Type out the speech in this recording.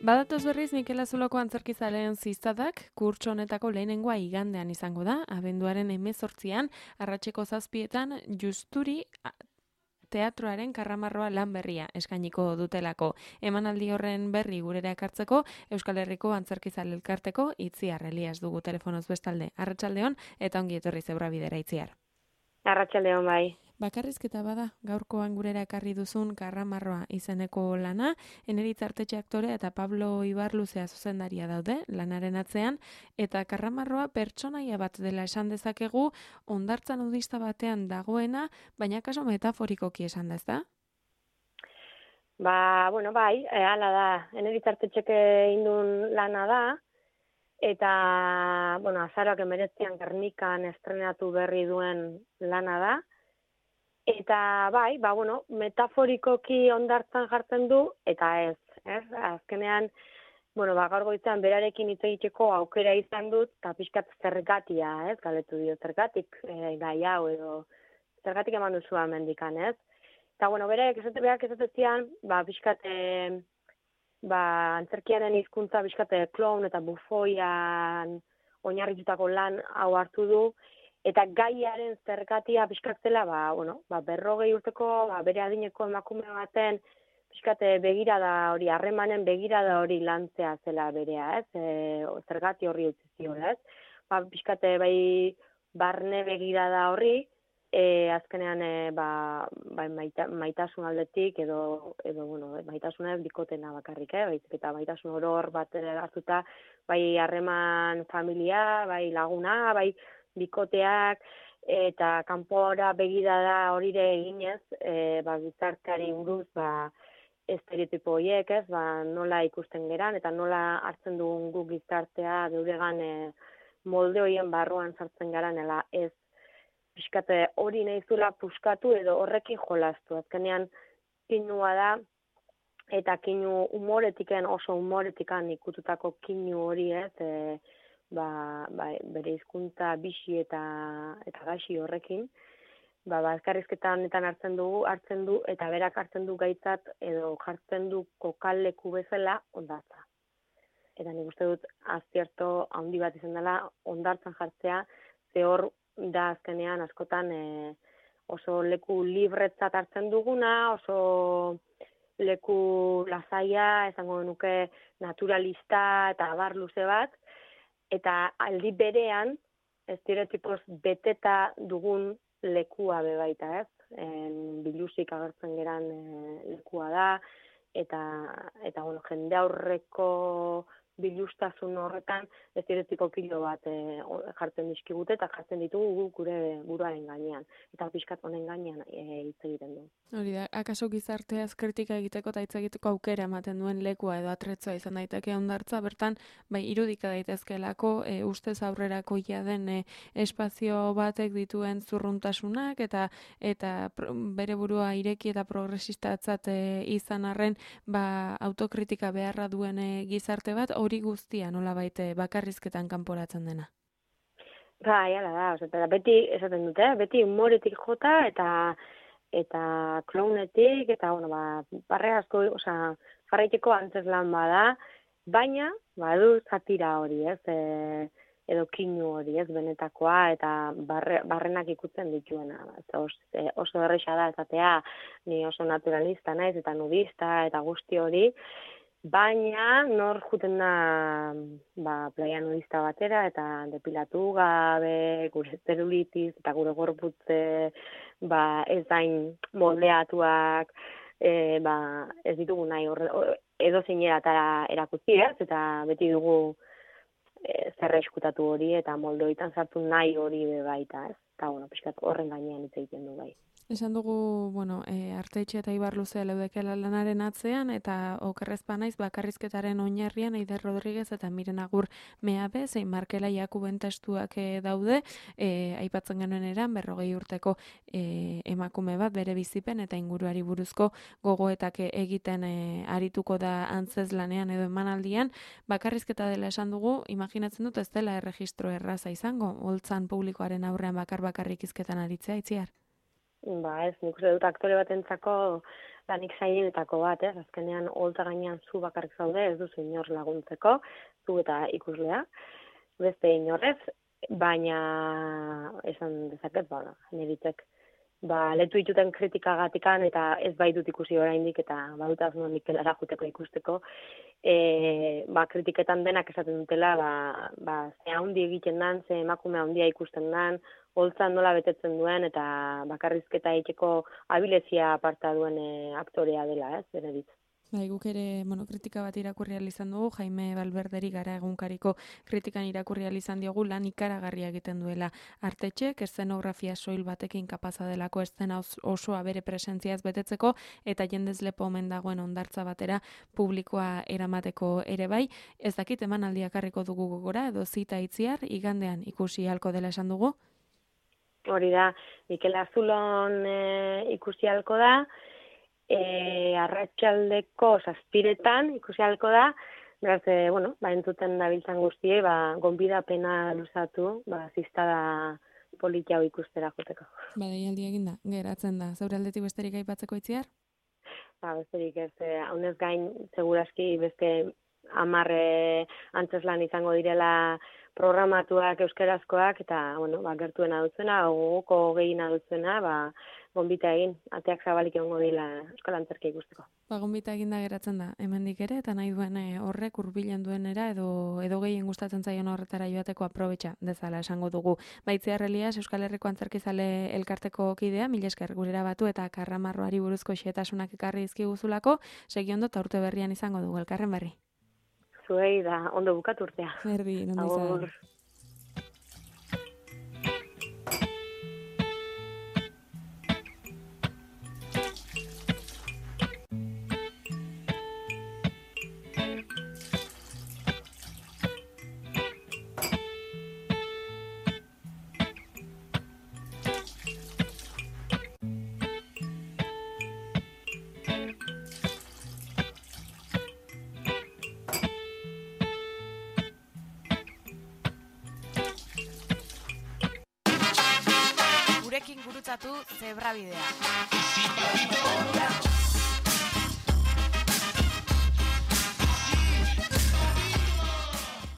Badatoz berriz Mikel Azuloko antzerkizaleen ziztadak kurtso honetako lehenengoa igandean izango da, abenduaren 18an, arratseko 7etan Justuri teatroaren karramarroa lan berria eskainiko dutelako. Emanaldi horren berri gurera ekartzeko Euskal Herriko Antzerkizale Elkarteko Itziar Elias dugu telefonoz bestalde. Arratsaldeon eta ongi etorri Zebrabidera Itziar. Arratsaldeon bai. Bakarrizketa bada, gaurkoan gurera ekarri duzun karramarroa izeneko lana, Eneritz Artetxe aktorea eta Pablo Ibarluzea zuzendaria daude lanaren atzean, eta karramarroa pertsonaia bat dela esan dezakegu, hondartza nudista batean dagoena, baina kaso metaforikoki esan da, ezta? Bai, hala da. Eneritz Artetxek indun lana da, eta, azaroak 19an Gernikan estrenatu berri duen lana da. Eta bai, metaforikoki hondartzan jartzen du, eta ez. Azkenean, gaur goizean berarekin hitz egiteko aukera izan dut, eta pixkat zergatia, galetu dio, zergatik gai hau edo, zergatik eman duzu hemendikan, ez? Eta, berak esatezian, pixkat, antzerkiaren hizkuntza pixkat kloun eta bufoian oinarritutako lan hau hartu du, eta gaiaren zergatia pixkatzela, 40 urteko, bere adineko emakume baten, pixkat begirada hori, harremanen begirada hori lantzea zela berea, zergati horri utzi ziola, pixkat barne begirada horri, azkenean maitasun aldetik, edo maitasuna bikotena bakarrik, baizik eta maitasun oror bat hartuta, bai harreman familia, bai laguna, bai bikoteak, eta kanpora begirada horire eginez, gizarteari buruz, estereotipo horiek, nola ikusten geran, eta nola hartzen dugun guk gizartea, geuregan molde horien barruan sartzen garan, ez pixkate hori nahizula puskatu edo horrekin jolastu. Azkenean kinua da, eta kinu oso humoretikan ikututako kinu hori, bere hizkuntza bixi eta gaxi horrekin, elkarrizketan hartzen du, eta berak hartzen du gaitzat, edo jartzen du kokaleku bezala hondartza. Eta nik uste dut, azierto handi bat izan dela, hondartzan jartzea, ze hor da azkenean askotan oso leku libretzat hartzen duguna, oso leku lasaia, esango nuke naturalista eta abar luze bat, eta aldi berean, estereotipoz beteta dugun lekua bebaita, biluzik agertzen geran lekua da, eta jende aurreko bilustasun horretan estereotipo kilo bat jartzen dizkigute eta jartzen ditugu gure buruaren gainean. Eta pixkat honen gainean hitz egiten du. Hori da, akaso gizarteaz kritika egiteko eta hitz egiteko aukera ematen duen lekua edo atretzoa izan daiteke hondartza, bertan irudika daitezkelako ustez aurrerakoia den espazio batek dituen zurruntasunak eta bere burua ireki eta progresistatzat izan arren autokritika beharra duen gizarte bat, hori guztia nolabait bakarrizketan kanporatzen dena. Hala da, beti esaten dute, beti humoretik jota eta klounetik, eta barre asko, jarraiteko antzeslan bada, baina badu satira hori, edo kinu hori, benetakoa, eta barrenak ikutzen dituena. Oso erresa da, esatea, ni oso naturalista naiz, eta nudista, eta guzti hori, baina nor juten da playa nudista batera, eta depilatu gabe, gure zelulitis, eta gure gorputze, ez dain moldeatuak, ez ditugu nahi edo zeineratara erakutzi, eta beti dugu zerra eskutatu hori, eta moldoitan sartu nahi hori bebaita, eta pixkat horren gainean hitz egiten du bai. Esan dugu, Artetxe eta Ibarluzea leudekela lanaren atzean, eta okerrezpa naiz bakarrizketaren oinarrian Eider Rodriguez eta Miren Agur Meabe, zein Markela Jakuben testuak daude, aipatzen genuen eran, 40 urteko emakume bat bere bizipen eta inguruari buruzko gogoetak egiten arituko da antzeslanean edo emanaldian, bakarrizketa dela esan dugu, imaginatzen dut ez dela erregistro erraza izango, holtzan publikoaren aurrean bakarrik hizketan aritzea, Itziar? Ez, nik uste dut aktore batentzako lanik zailenetako bat, azkenean holtza gainean zu bakarrik zaude, ez duzu inor laguntzeko, zu eta ikuslea, beste inorrez, baina esan dezaket, niritzek, letu dituten kritikagatikan eta ez baitut ikusi oraindik eta badut asmo Mikelara juteko ikusteko, kritiketan denak esaten dutela, ze handi egiten dan, ze emakume handia ikusten dan, holtza nola betetzen duen eta bakarrizketa egiteko abilezia aparta duen aktorea dela, beneritz. Guk ere kritika bat irakurri izan dugu, Jaime Valverderi Gara egunkariko kritikan irakurri izan diogu lan ikaragarria egiten duela Artetxek, eszenografia soil batekin kapaza delako eszena osoa bere presentziaz betetzeko eta jendez lepo omen dagoen hondartza batera publikoa eramateko ere bai. Ez dakit emanaldiak harriko dugu gogora edo zita itziar, igandean ikusi halko dela esan dugu? Hori da, Mikel Azulon ikusi halko da, arratsaldeko 7:00 ikusi halko da, beraz, entzuten dabiltzan guztiei, gonbidapena luzatu, ziztada politia hau ikustera joteko. Deialdi eginda, geratzen da. Zeure aldetik besterik aipatzeko itziar? Besterik ez, haunez gain, seguraski beste 10 antzeslan izango direla programatuak euskerazkoak, eta, gertuena dutzena, gogoko gehiena dutzena, gonbita egin, ateak zabalik egongo dira euskal antzerkia ikusteko. Gonbita eginda geratzen da, hemendik ere, eta nahi duen horrek hurbilen duenera, edo gehien gustatzen zaion horretara joateko aprobetxa dezala esango dugu. Itziar Elias, Euskal Herriko Antzerkizale elkarteko kidea, mila esker gurera batu eta karramarroari buruzko xehetasunak ekarri dizkiguzulako, segi ondo eta urte berrian izango dugu, elkarren berri. Zuei da, ondo bukatu urtea. Berdi, ondo izan. Gurekin gurutzatu Zebrabidea.